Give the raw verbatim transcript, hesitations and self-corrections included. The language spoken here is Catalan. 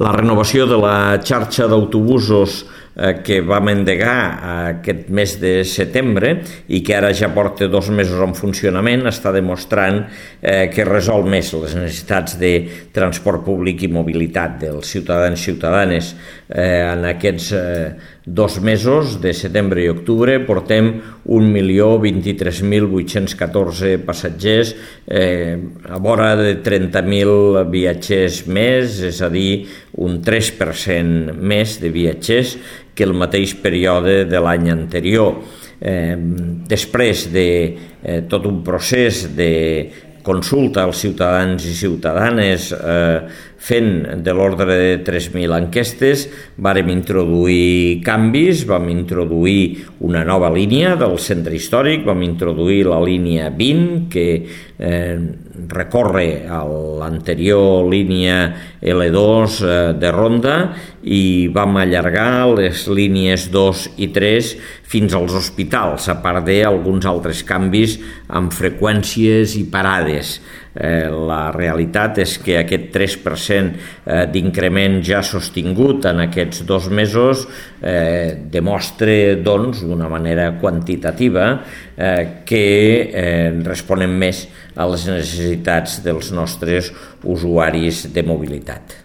La renovació de la xarxa d'autobusos que vam endegar aquest mes de setembre i que ara ja porta dos mesos en funcionament està demostrant que resol més les necessitats de transport públic i mobilitat dels ciutadans i ciutadanes. En aquests dos mesos, de setembre i octubre, portem un milió vint-i-tres mil vuit-cents catorze passatgers, a vora de trenta mil viatgers més, és a dir, un tres per cent més de viatgers que el mateix període de l'any anterior. Eh, després de eh, tot un procés de consulta als ciutadans i ciutadanes eh, fent de l'ordre de tres mil enquestes, vàrem introduir canvis, vam introduir una nova línia del centre històric, vam introduir la línia vint, que eh, recorre a l'anterior línia L dos eh, de Ronda, i vam allargar les línies dos i tres fins als hospitals, a part d'alguns altres canvis amb freqüències i parades. Eh, la realitat és que aquest tres per cent eh, d'increment ja sostingut en aquests dos mesos eh, demostra, doncs, d'una manera quantitativa eh, que eh, responem més a les necessitats dels nostres usuaris de mobilitat.